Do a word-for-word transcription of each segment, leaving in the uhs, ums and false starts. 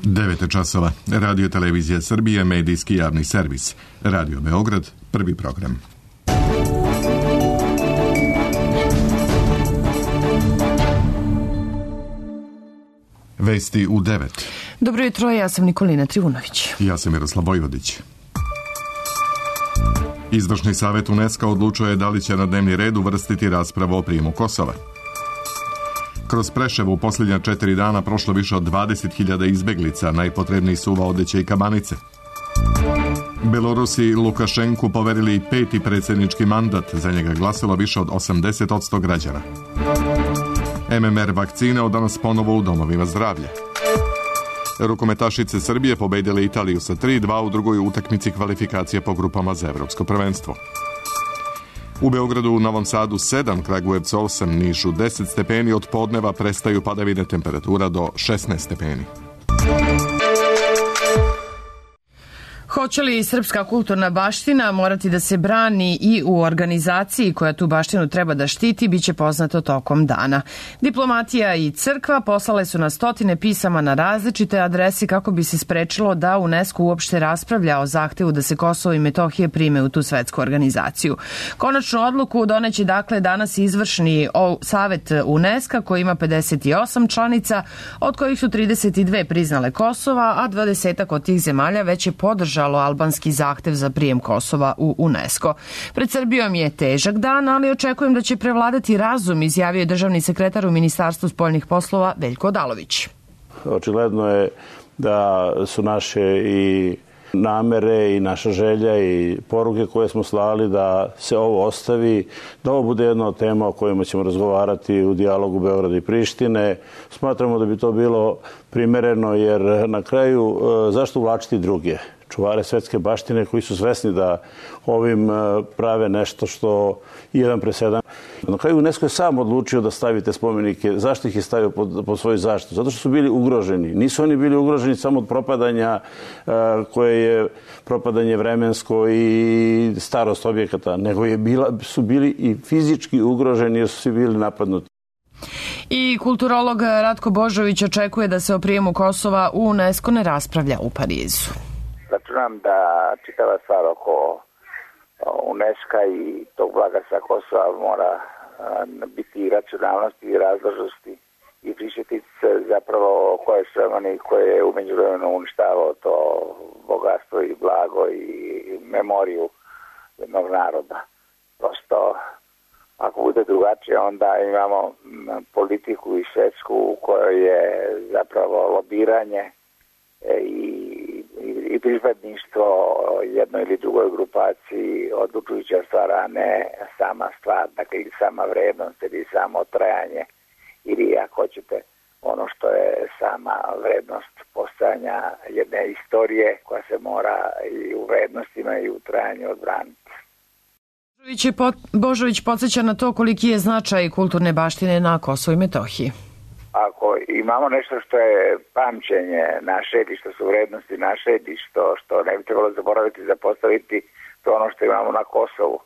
devet časova. Radio Televizija Srbije, medijski javni servis. Radio Beograd, prvi program. Vesti u devet. Dobro jutro, ja sam Nikolina Trivunović. Ja sam Miroslav Vojvodić. Izvršni savjet UNESCO odlučio je da li će na dnevni red uvrstiti raspravu o prijemu Kosova. Kroz Preševo u posljednja četiri dana prošlo više od dvadeset hiljada izbeglica, najpotrebniji su Odeće i Kabanice. Belorusi Lukašenku poverili peti predsjednički mandat, za njega glasilo više od osamdeset posto građana. M M R vakcine od danas ponovo u domovima zdravlja. Rukometašice Srbije pobedile Italiju sa tri dva u drugoj utakmici kvalifikacije po grupama za evropsko prvenstvo. U Beogradu, u Novom Sadu sedam, Kragujevcu osam, Nišu deset stepeni, od podneva prestaju padavine, temperatura do šesnaest stepeni. Hoće li srpska kulturna baština morati da se brani i u organizaciji koja tu baštinu treba da štiti, bit će poznato tokom dana. Diplomatija i crkva poslale su na stotine pisama na različite adrese kako bi se sprečilo da UNESCO uopšte raspravlja o zahtevu da se Kosovo i Metohija prime u tu svetsku organizaciju. Konačnu odluku doneće dakle danas izvršni savet UNESCO koji ima pedeset osam članica, od kojih su trideset dve priznale Kosova, a dvadesetak od tih zemalja već je podržalo albanski zahtev za prijem Kosova u UNESCO. Pred Srbijom je težak dan, ali očekujem da će prevladati razum, izjavio je državni sekretar u Ministarstvu spoljnih poslova Veljko Odalović. Očigledno je da su naše i namere i naša želja i poruke koje smo slali da se ovo ostavi, da ovo bude jedna od tema o kojima ćemo razgovarati u dijalogu Beograda i Prištine. Smatramo da bi to bilo primereno, jer na kraju zašto uvlačiti druge? Čuvare svetske baštine koji su svesni da ovim prave nešto što jedan presedan. Na kraju UNESCO je sam odlučio da stavite spomenike. Zašto ih je stavio pod, pod svoju zaštitu? Zato što su bili ugroženi. Nisu oni bili ugroženi samo od propadanja koje je propadanje vremensko i starost objekata, nego je bila, su bili i fizički ugroženi jer su svi bili napadnuti. I kulturolog Ratko Božović očekuje da se o prijemu Kosova u UNESCO ne raspravlja u Parizu. Računam da čitava stvar oko UNESCO i tog blaga sa Kosova mora biti i racionalnosti i razložnosti i prisjetiti se zapravo koje su oni koje je umeđu vremenu uništavao to bogatstvo i blago i memoriju jednog naroda. Prosto, ako bude drugačije, onda imamo politiku i svetsku u kojoj je zapravo lobiranje i i pripadništvo jednoj ili drugoj grupaciji odlučujuća stvar, a ne sama stvar, dakle ili sama vrednost ili samo trajanje ili ako hoćete ono što je sama vrednost postojanja jedne istorije koja se mora i u vrednostima i u trajanju odbraniti. Božović podsjeća na to koliki je značaj kulturne baštine na Kosovu i Metohiji. Ako imamo nešto što je pamćenje naše ili što su vrednosti naše ili što, što ne bi trebalo zaboraviti i zapostaviti, to ono što imamo na Kosovu.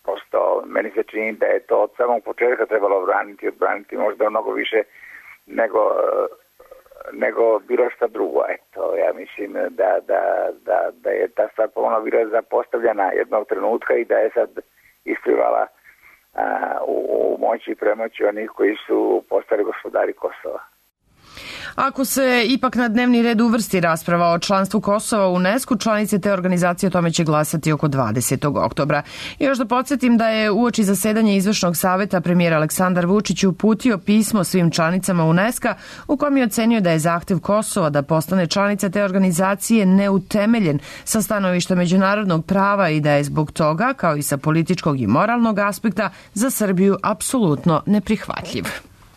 Prosto meni se čini da je to od samog početka trebalo braniti i odbraniti možda mnogo više nego, nego bilo šta drugo. Eto, ja mislim da, da, da, da je ta stvar pomalo bila zapostavljena jednog trenutka i da je sad isplivala u moći i premoći onih koji su postali gospodari Kosova. Ako se ipak na dnevni red uvrsti rasprava o članstvu Kosova u UNESCO, članice te organizacije o tome će glasati oko dvadesetog oktobra. I još da podsjetim da je uoči zasedanja izvršnog saveta premijer Aleksandar Vučić uputio pismo svim članicama UNESCO u kom je ocenio da je zahtev Kosova da postane članica te organizacije neutemeljen sa stanovišta međunarodnog prava i da je zbog toga, kao i sa političkog i moralnog aspekta, za Srbiju apsolutno neprihvatljiv.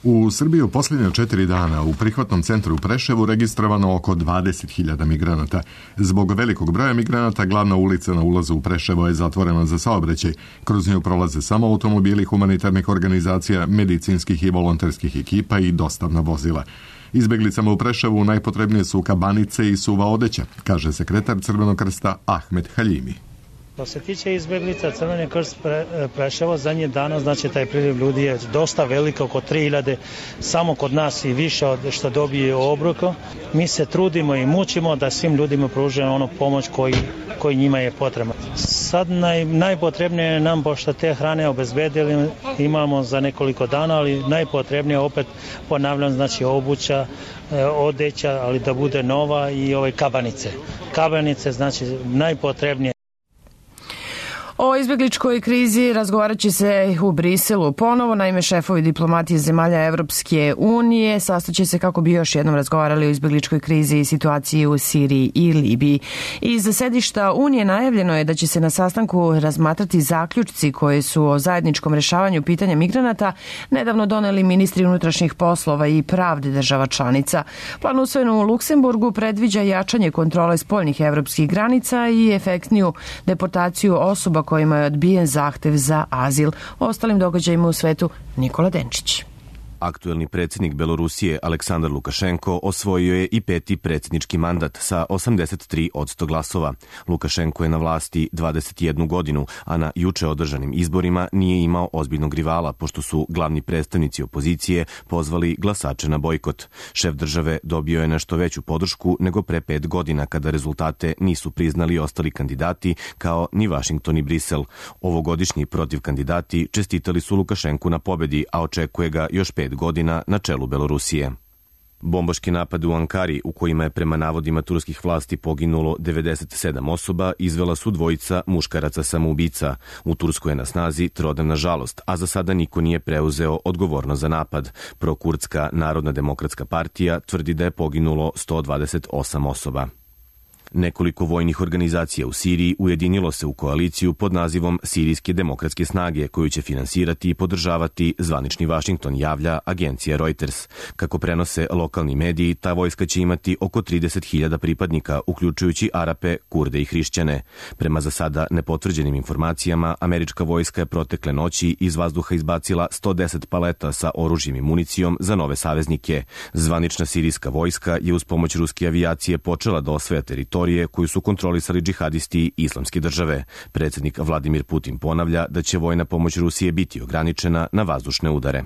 U Srbiji u posljednja četiri dana u prihvatnom centru u Preševu registrovano oko dvadeset hiljada migranata. Zbog velikog broja migranata glavna ulica na ulazu u Preševo je zatvorena za saobraćaj. Kroz nju prolaze samo automobili humanitarnih organizacija, medicinskih i volonterskih ekipa i dostavna vozila. Izbeglicama u Preševu najpotrebnije su kabanice i suva odeća, kaže sekretar Crvenog krsta Ahmet Haljimi. Što se tiče izbjeglica, Crveni krst pre, Preševo zadnjih dana, znači taj priliv ljudi je dosta velik, oko tri hiljade, samo kod nas i više od što dobije obroka. Mi se trudimo i mučimo da svim ljudima pružimo onu pomoć koji, koji njima je potrebna. Sad naj, najpotrebnije je nam, pošto te hrane obezbedili, imamo za nekoliko dana, ali najpotrebnije opet ponavljam, znači obuća, odeća, ali da bude nova i ove kabanice. Kabanice, znači najpotrebnije. O izbjegličkoj krizi razgovarat će se u Briselu ponovo. Naime, šefovi diplomatije zemalja Evropske unije sastaće se kako bi još jednom razgovarali o izbjegličkoj krizi i situaciji u Siriji i Libiji. Iz sedišta Unije najavljeno je da će se na sastanku razmatrati zaključci koji su o zajedničkom rešavanju pitanja migranata nedavno doneli ministri unutrašnjih poslova i pravde država članica. Plan usvojen u Luksemburgu predviđa jačanje kontrole spoljnih evropskih granica i efektniju deportaciju osoba kojima je odbijen zahtev za azil. O ostalim događajima u svetu Nikola Denčić. Aktuelni predsjednik Belorusije Aleksandar Lukašenko osvojio je i peti predsjednički mandat sa osamdeset tri posto glasova. Lukašenko je na vlasti dvadeset jednu godinu, a na juče održanim izborima nije imao ozbiljnog rivala, pošto su glavni predstavnici opozicije pozvali glasače na bojkot. Šef države dobio je nešto veću podršku nego pre pet godina, kada rezultate nisu priznali ostali kandidati, kao ni Vašington i Brisel. Ovogodišnji protiv kandidati čestitali su Lukašenku na pobedi, a očekuje ga još pet godina na čelu Belorusije. Bombaški napad u Ankari, u kojima je prema navodima turskih vlasti poginulo devedeset sedam osoba, izvela su dvojica muškaraca samoubica. U Turskoj je na snazi trodnevna žalost, a za sada niko nije preuzeo odgovornost za napad. Prokurdska Narodna demokratska partija tvrdi da je poginulo sto dvadeset osam osoba. Nekoliko vojnih organizacija u Siriji ujedinilo se u koaliciju pod nazivom Sirijske demokratske snage, koju će finansirati i podržavati zvanični Vašington, javlja agencija Reuters. Kako prenose lokalni mediji, ta vojska će imati oko trideset hiljada pripadnika, uključujući Arape, Kurde i Hrišćane. Prema za sada nepotvrđenim informacijama, američka vojska je protekle noći iz vazduha izbacila sto deset paleta sa oružjem i municijom za nove saveznike. Zvanična sirijska vojska je uz pomoć ruske avijacije počela da osvaja teritoriju koju su kontrolisali džihadisti Islamske države. Predsjednik Vladimir Putin ponavlja da će vojna pomoć Rusije biti ograničena na vazdušne udare.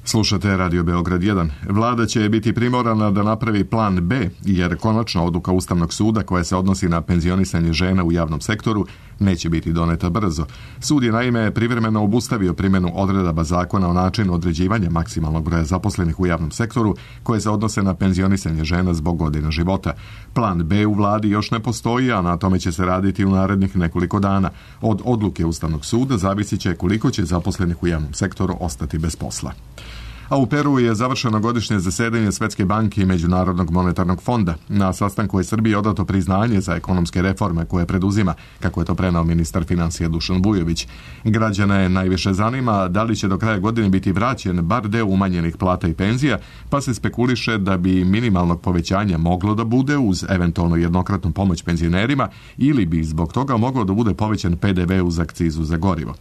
Slušate Radio Beograd jedan. Vlada će biti primorana da napravi plan B, jer konačna odluka Ustavnog suda koja se odnosi na penzionisanje žena u javnom sektoru neće biti doneta brzo. Sud je naime privremeno obustavio primjenu odredaba zakona o načinu određivanja maksimalnog broja zaposlenih u javnom sektoru koje se odnose na penzionisanje žena zbog godina života. Plan B u vladi još ne postoji, a na tome će se raditi u narednih nekoliko dana. Od odluke Ustavnog suda zavisit će koliko će zaposlenih u javnom sektoru ostati bez posla. A u Peru je završeno godišnje zasedanje Svetske banke i Međunarodnog monetarnog fonda. Na sastanku je Srbiji odato priznanje za ekonomske reforme koje preduzima, kako je to prenao ministar financija Dušan Vujović. Građana je najviše zanima da li će do kraja godine biti vraćen bar deo umanjenih plata i penzija, pa se spekuliše da bi minimalnog povećanja moglo da bude uz eventualno jednokratnu pomoć penzionerima ili bi zbog toga moglo da bude povećan P D V uz akcizu za gorivo.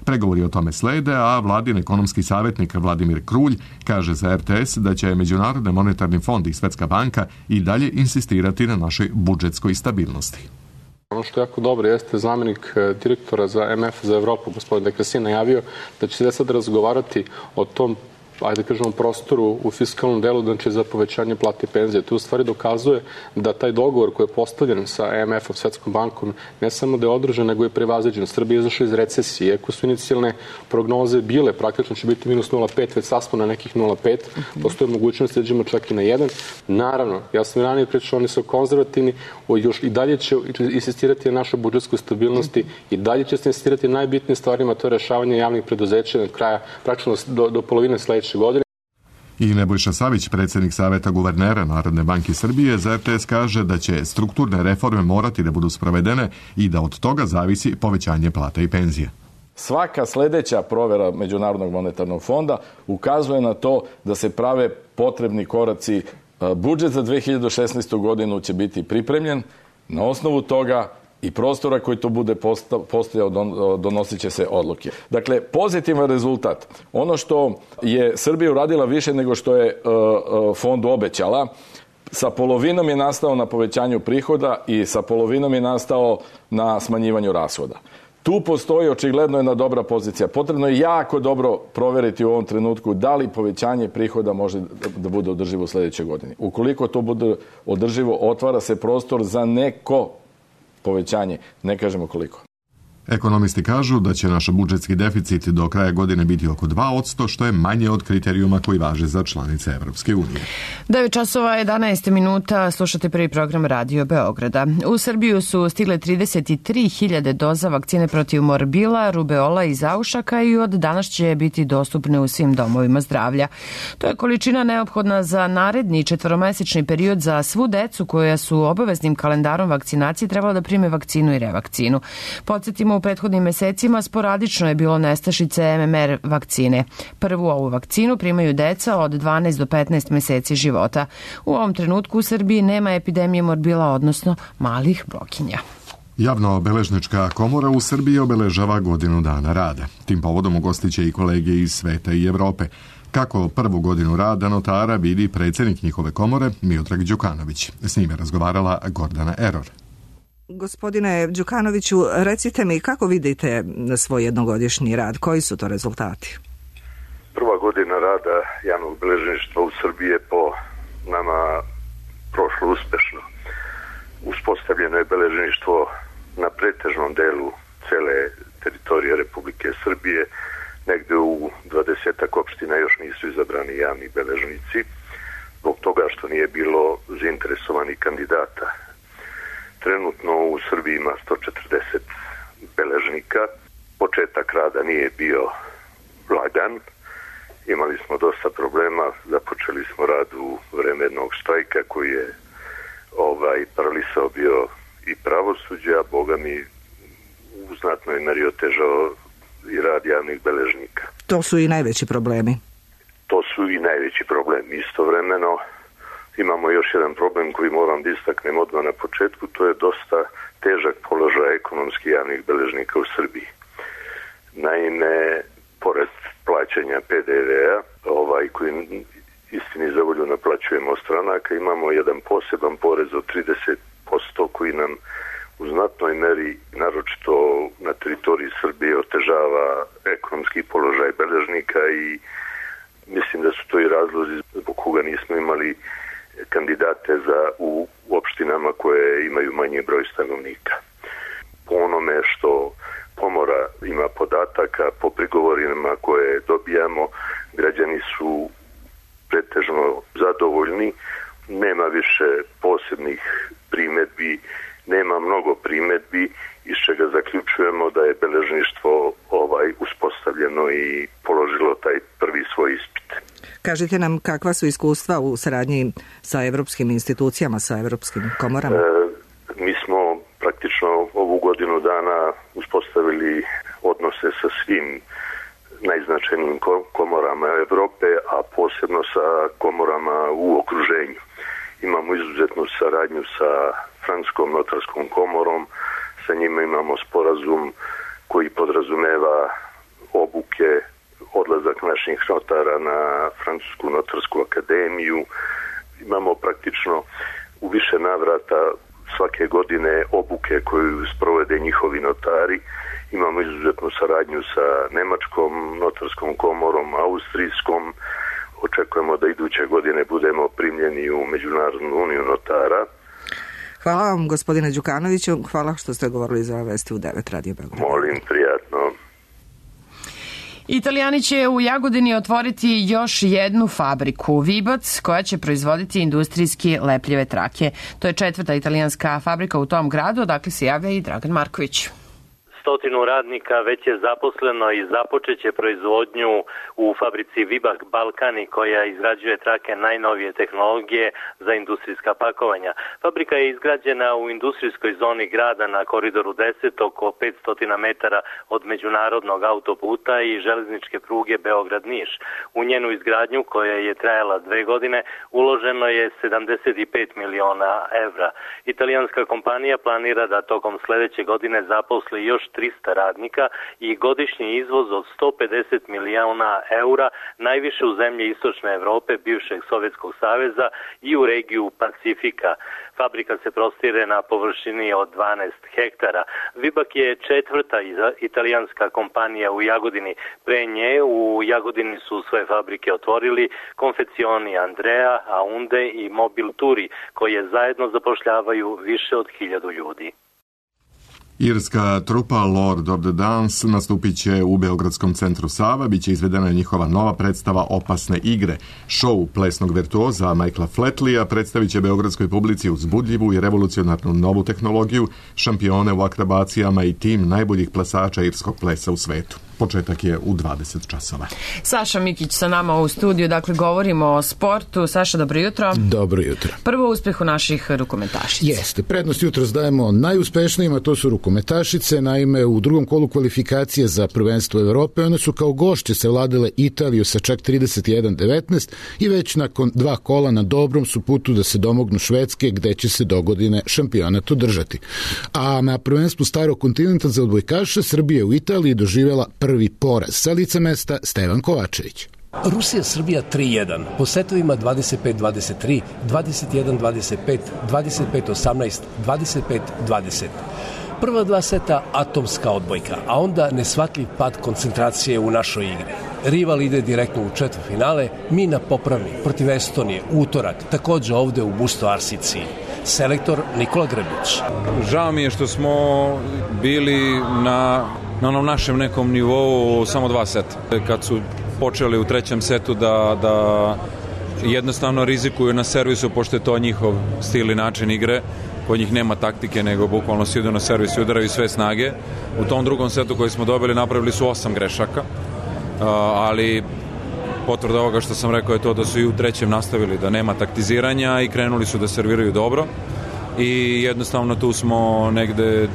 Pregovori o tome slede, a vladin ekonomski savjetnik Vladimir Krulj kaže za R T S da će Međunarodni monetarni fond i Svetska banka i dalje insistirati na našoj budžetskoj stabilnosti. Ono što je jako dobro jeste zamjenik direktora za M F za Evropu, gospodin Dekresin, najavio da će se sad razgovarati o tom, ajde da kažemo, prostoru u fiskalnom delu, znači za povećanje plate i penzije. To u stvari dokazuje da taj dogovor koji je postavljen sa M F-om, Svetskom bankom, ne samo da je održan, nego je prevaziđen. Srbija je izašla iz recesije. Iako su inicijalne prognoze bile, praktično će biti minus nula zarez pet, već saspon na nekih nula zarez pet. Postoje mogućnost da idemo čak i na jedan. Naravno, ja sam ranije pričao, oni su konzervativni, još i dalje će insistirati na našoj budžetskoj stabilnosti, i dalje će se insistirati na najbitnijim stvarima, to je rešavanje javnih preduzeća na kraja, praktično do, do polovine sledeće godine. I Nebojša Savić, predsjednik Saveta guvernera Narodne banke Srbije, za R T S kaže da će strukturne reforme morati da budu sprovedene i da od toga zavisi povećanje plata i penzije. Svaka sledeća provera Međunarodnog monetarnog fonda ukazuje na to da se prave potrebni koraci. Budžet za dve hiljade šesnaestu godinu će biti pripremljen. Na osnovu toga i prostora koji to bude postojao, donosit će se odluke. Dakle, pozitivan rezultat. Ono što je Srbija uradila više nego što je fondu obećala, sa polovinom je nastao na povećanju prihoda i sa polovinom je nastao na smanjivanju rashoda. Tu postoji očigledno jedna dobra pozicija. Potrebno je jako dobro proveriti u ovom trenutku da li povećanje prihoda može da bude održivo u sljedećoj godini. Ukoliko to bude održivo, otvara se prostor za neko povećanje. Ne kažemo koliko. Ekonomisti kažu da će naš budžetski deficit do kraja godine biti oko dva posto, što je manje od kriterijuma koji važe za članice Evropske unije. devet časova jedanaest minuta, slušate prvi program Radio Beograda. U Srbiju su stigle trideset tri hiljade doza vakcine protiv morbila, rubeola i zaušaka i od danas će biti dostupne u svim domovima zdravlja. To je količina neophodna za naredni četvoromesečni period za svu decu koja su obaveznim kalendarom vakcinacije trebala da prime vakcinu i revakcinu. Podsjetimo, u prethodnim mesecima sporadično je bilo nestašice M M R vakcine. Prvu ovu vakcinu primaju deca od dvanaest do petnaest meseci života. U ovom trenutku u Srbiji nema epidemije morbila, odnosno malih blokinja. Javno-beležnička komora u Srbiji obeležava godinu dana rada. Tim povodom ugostiće i kolege iz sveta i Evrope. Kako prvu godinu rada notara vidi predsjednik njihove komore Miodrag Đukanović. S njime razgovarala Gordana Eror. Gospodine Đukanoviću, recite mi kako vidite svoj jednogodišnji rad, koji su to rezultati? Prva godina rada javnog beležništva u Srbiji je po nama prošlo uspešno. Uspostavljeno je beležništvo na pretežnom delu cele teritorije Republike Srbije, negde u dvadesetak opština još nisu izabrani javni beležnici, zbog toga što nije bilo zainteresovanih kandidata. Trenutno u Srbiji ima sto četrdeset beležnika. Početak rada nije bio lagan. Imali smo dosta problema. Započeli smo rad u vreme jednog štrajka koji je ovaj, paralisao bio i pravosuđe, a Boga mi u znatnoj meri otežao i rad javnih beležnika. To su i najveći problemi. To su i najveći problemi. Istovremeno imamo još jedan problem koji moram da istaknem odmah na početku, to je dosta težak položaj ekonomski javnih beležnika u Srbiji. Naime, pored plaćanja P D V-a, ovaj, koji istini za volju naplaćujemo od stranaka, imamo jedan poseban porez od trideset posto koji nam u znatnoj meri, naročito na teritoriji Srbije, otežava ekonomski položaj beležnika i mislim da su to i razlozi zbog koga nismo imali kandidate za u opštinama koje imaju manji broj stanovnika. Po onome što komora ima podataka, po prigovorima koje dobijamo, građani su pretežno zadovoljni, nema više posebnih primedbi, nema mnogo primedbi, iz čega zaključujemo da je beležništvo ovaj uspostavljeno i položilo taj prvi svoj ispit. Kažite nam kakva su iskustva u saradnji sa evropskim institucijama, sa evropskim komorama? E, mi smo praktično ovu godinu dana uspostavili odnose sa svim najznačajnijim komorama Evrope, a posebno sa komorama u okruženju. Imamo izuzetnu saradnju sa Francuskom notarskom komorom, sa njima imamo sporazum koji podrazumeva obuke, odlazak naših notara na Francusku notarsku akademiju. Imamo praktično u više navrata svake godine obuke koju sprovede njihovi notari. Imamo izuzetnu saradnju sa Nemačkom notarskom komorom, Austrijskom. Očekujemo da iduće godine budemo primljeni u Međunarodnu uniju notara. Hvala vam, gospodine Đukanoviću. Hvala što ste govorili za Vesti u devet Radio Beograd. Molim, prijatno. Italijani će u Jagodini otvoriti još jednu fabriku, Vibac, koja će proizvoditi industrijski lepljive trake. To je četvrta italijanska fabrika u tom gradu, odakle se javlja i Dragan Marković. Stotinu radnika već je zaposleno i započeće proizvodnju u fabrici Vibak Balkani koja izgrađuje trake najnovije tehnologije za industrijska pakovanja. Fabrika je izgrađena u industrijskoj zoni grada na koridoru deset, oko petsto metara od međunarodnog autoputa i železničke pruge Beograd-Niš. U njenu izgradnju, koja je trajala dve godine, uloženo je sedamdeset pet miliona evra. Italijanska kompanija planira da tokom sledeće godine zaposli još trista radnika i godišnji izvoz od sto pedeset miliona eura, najviše u zemlje Istočne Evrope, bivšeg Sovjetskog saveza i u regiju Pacifika. Fabrika se prostire na površini od dvanaest hektara. Vibak je četvrta italijanska kompanija u Jagodini. Pre nje u Jagodini su svoje fabrike otvorili konfekcioni Andrea, Aunde i Mobil Turi, koje zajedno zapošljavaju više od hiljadu ljudi. Irska trupa Lord of the Dance nastupit će u Beogradskom centru Sava, biće izvedena njihova nova predstava Opasne igre. Show plesnog virtuoza Michaela Flatlija predstavit će beogradskoj publici uzbudljivu i revolucionarnu novu tehnologiju, šampione u akrobacijama i tim najboljih plesača irskog plesa u svetu. Početak je u dvadeset časova. Saša Mikić sa nama u studiju, dakle govorimo o sportu. Saša, dobro jutro. Dobro jutro. Prvo uspehu naših rukometašica. Jeste, prednost jutro dajemo najuspešnijima, to su rukometašice. Naime, u drugom kolu kvalifikacije za prvenstvo Evrope one su kao gošće savladale Italiju sa čak trideset jedan devetnaest i već nakon dva kola na dobrom su putu da se domognu Švedske, gde će se dogodine šampionat održati. A na prvenstvu starog kontinenta za odbojkaše Srbija u Italiji doživjela prvi poraz. Sa lica mesta Stevan Kovačević. Rusija-Srbija tri jedan, po setovima dvadeset pet dvadeset tri, dvadeset jedan dvadeset pet, dvadeset pet osamnaest, dvadeset pet dvadeset. Prva dva seta atomska odbojka, a onda nesvatljiv pad koncentracije u našoj igri. Rival ide direktno u četvrtfinale, mi na popravni protiv Estonije, utorak, takođe ovde u Busto Arsici. Selektor Nikola Grbić. Žao mi je što smo bili na, na onom našem nekom nivou samo dva seta. Kad su počeli u trećem setu da, da jednostavno rizikuju na servisu, pošto je to njihov stil i način igre, kod njih nema taktike, nego bukvalno si idu na servis i udaraju sve snage. U tom drugom setu koji smo dobili napravili su osam grešaka, ali potvrda ovoga što sam rekao je to da su i u trećem nastavili da nema taktiziranja i krenuli su da serviraju dobro i jednostavno tu smo negde,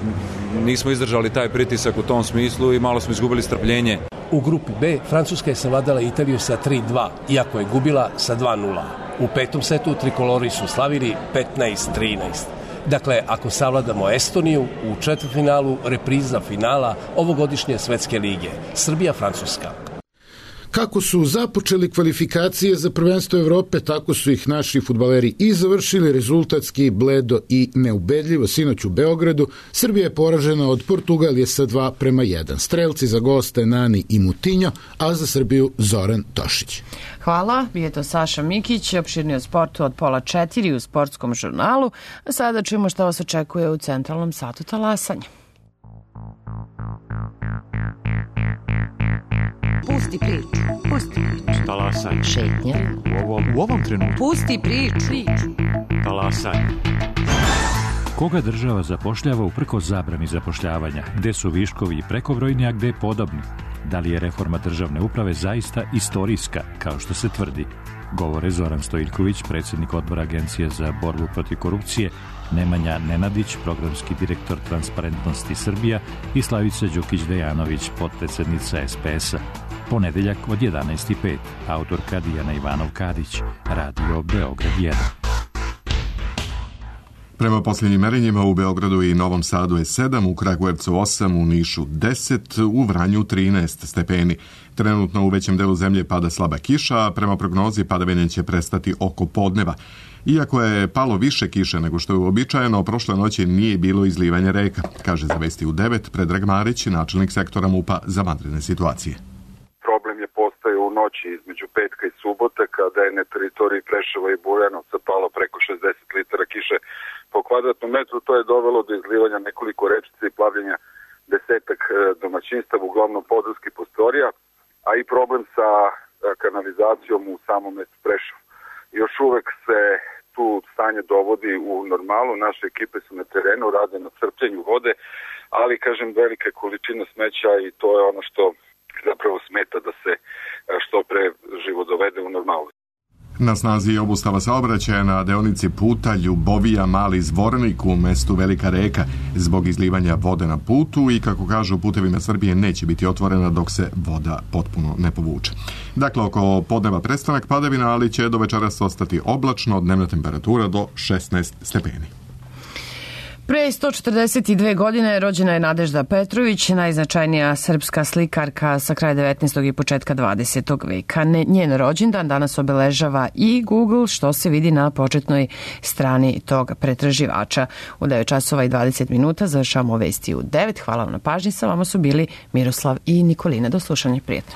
nismo izdržali taj pritisak u tom smislu i malo smo izgubili strpljenje. U grupi B Francuska je savladala Italiju sa tri dva, iako je gubila sa dva nula. U petom setu trikolori su slavili petnaest trinaest. Dakle, ako savladamo Estoniju, u četvrtfinalu repriza finala ovogodišnje svetske lige, Srbija-Francuska. Kako su započeli kvalifikacije za prvenstvo Evrope, tako su ih naši fudbaleri i završili, rezultatski bledo i neubedljivo. Sinoć u Beogradu Srbija je poražena od Portugalije sa dva prema jedan. Strelci za goste Nani i Mutinjo, a za Srbiju Zoran Tošić. Hvala, je to Saša Mikić, opširni o sportu od pola četiri u Sportskom žurnalu. A sada čujemo šta vas očekuje u centralnom satu talasanja. Pusti priču, pusti priču. Talasaj. Šetnja. U ovom, u ovom trenutku. Pusti priču. Talasaj. Koga država zapošljava uprkos zabrani zapošljavanja? Gde su viškovi i prekobrojni, a gde podobni? Da li je reforma državne uprave zaista istorijska, kao što se tvrdi? Govore Zoran Stojiljković, predsjednik odbora Agencije za borbu protiv korupcije, Nemanja Nenadić, programski direktor Transparentnosti Srbija i Slavica Đukić-Dejanović, potpredsednica es pe es-a. Ponedeljak od jedanaest i pet, autorka Dijana Ivanov-Kadić, Radio Beograd jedan. Prema posljednjim merenjima u Beogradu i Novom Sadu je sedam, u Kragujevcu osam, u Nišu deset, u Vranju trinaest stepeni. Trenutno u većem delu zemlje pada slaba kiša, a prema prognozi padavine će prestati oko podneva. Iako je palo više kiše nego što je uobičajeno, prošle noći nije bilo izlivanja reka, kaže za Vesti u devet Predrag Marić, načelnik sektora MUP-a za vanredne situacije. Problem je postao u noći između petka i subote, kada je na teritoriji Preševa i Bujanovca palo preko šezdeset litara kiše po kvadratnom metru. To je dovelo do izlivanja nekoliko rečica i plavljenja desetak domaćinstava, uglavnom područkih prostorija, a i problem sa kanalizacijom u samom mestu Preševu. Još uvek se tu stanje dovodi u normalu, naše ekipe su na terenu, rade na crpljenju vode, ali kažem velike količine smeća i to je ono što zapravo smeta da se što pre život dovede u normalu. Na snazi je obustava saobraćaja na deonici puta Ljubovija Mali Zvornik u mestu Velika Reka zbog izlivanja vode na putu i, kako kažu, putevima Srbije neće biti otvorena dok se voda potpuno ne povuče. Dakle, oko podneva prestanak padavina, ali će do večeras ostati oblačno, dnevna temperatura do šesnaest stepeni. Pre sto četrdeset dve godine rođena je Nadežda Petrović, najznačajnija srpska slikarka sa kraja devetnaestog i početka dvadesetog veka. Njen rođendan danas obeležava i Google, što se vidi na početnoj strani tog pretraživača. U devet časova i dvadeset minuta završavamo vesti u devet. Hvala vam na pažnji, sa vama su bili Miroslav i Nikolina. Do slušanja, prijetno.